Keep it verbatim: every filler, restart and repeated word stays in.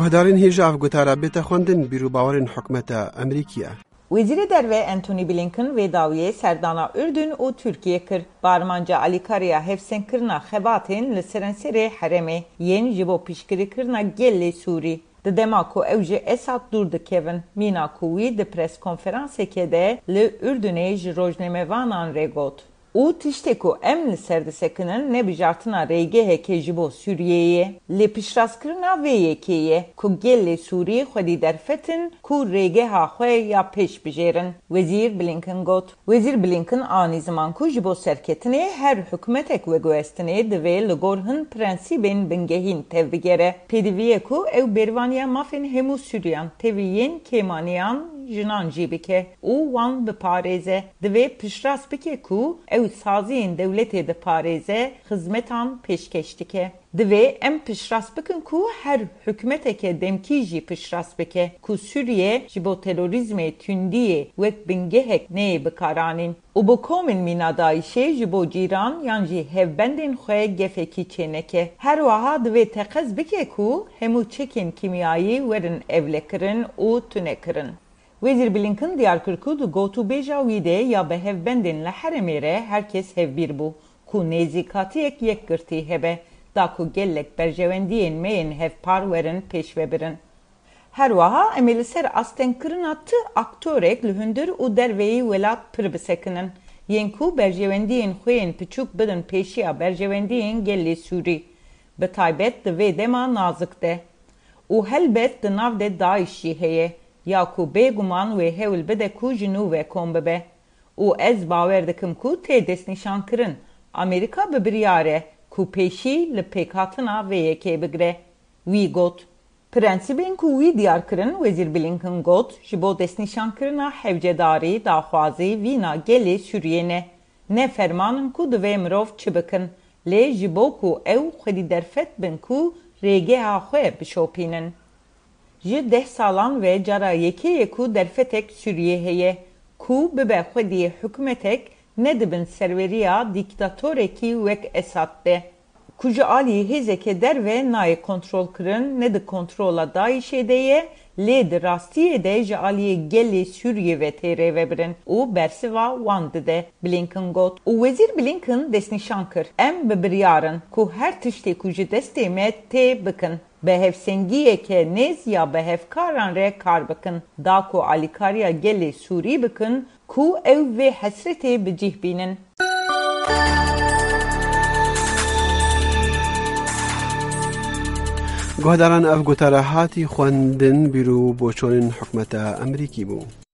Guhdarên hêja ev gotara bête xwendin, bîr û bawerên hikûmeta Amerîkî ye. Wezîrê Derve Antony Blinken vê dawiyê serdana Urdun û Tirkiyê kir. Bi armanca alîkariya hevsengkirina xebatên li serenserê herêmê yên ji bo piştgirîkirina gelê Sûrî. Di dema ku ew ji Esad dûr dikevin, mîna ku wî di preskonferanseke de li Urdunê ji rojnamevanan re got. Û tiştê ku em li ser disekinin ne bijartina rêgehekê ji bo Sûriyeyê ye, lê piştrastkirina vê yekê ye ku gelê Sûrî xwedî derfetin ku rêgeha xwe ya pêş bijêrin, Wezîr Blinken got. Wezîr Blinken anî ziman ku ji bo serketinê her hikûmetek veguhestinê divê li gor hin prensîbên bingehîn tevbigere. Pêdivî ye ku ew bêrvaniya mafên hemû Sûriyan tevî yên kêmaniyan jinan jî bike û wan biparêze. Divê piştrast bike ku ew saziyên dewletê diparêze, xizmetan pêşkêş dike. Divê em piştrast bikin ku her hikûmeteke demkî jî piştrast bike ku Sûriye ji bo terorîzmê tundiyê wek bingehek neyê bikaranîn û bi komên mîna DAIŞê ji bo cîran yan jî hevbendên xwe gefekî çêneke. Her wiha divê teqez bike ku hemû çekên kîmyayî werin evlekirin û tunekirin. Wezîr Blinken diyar kir ku di gotûbêja wî de ya bi hevbendên li herêmê re her kes hevbîr bû ku nêzîkatiyek yekgirtî hebe, da ku gelek berjewendiyên me yên hevpar werin pêşvebirin. Her wiha em ê li ser astengkirina ti aktorek li hundir û derveyî welat pir bisekinin, yên ku berjewendiyên xwe yên piçûk bidin pêşiya berjewendiyên gelê Sûrî, bi taybet di vê dema nazik de. Û helbet di nav de DAIŞ jî heye, ya ku bêguman wê hewl bide ku ji nû ve kom bibe. Û ez bawer dikim ku tê destnîşankirin, Amerîka bi biryar e ku pêşî li pêkhatina vê yekê bigire. Wî got. Prensîbên ku wî diyar kirin, Wezîr Blinken got, ji bo destnîşankirina hewcedarî, daxwazî, vîna gelê Sûriyê ne. Ne ferman in ku divê mirov çi bikin, lê ji bo ku ew xwedî derfet bin ku rêgeha xwe bişopînin. Ji deh salan ve cara yekê ye ku derfetek Sûriyê heye, ku bibe xwedî hikûmetek ne di bin serweriya dîktatorekî wek Esad de. Ku ji alî hêzeke derve nayê kontrolkirin, ne di kontrola DAIŞê de ye, lê di rastiyê de ji aliyê gelê Sûriyê ve tê rêvebirin û bersiva wan dide, Blinken got. Û Wezîr Blinken destnîşan kir, em bi biryar in ku her tiştê ku ji destê me tê bikin, bi hevsengiyeke nêz ya bi hevkaran re kar bikin, da ku alîkariya gelê Sûrî bikin, ku ew vê hesretê bi cih bînin. Guhdaran, ev gotara hatî xwendin, bîr û boçonên hikûmeta Amerîkî bû.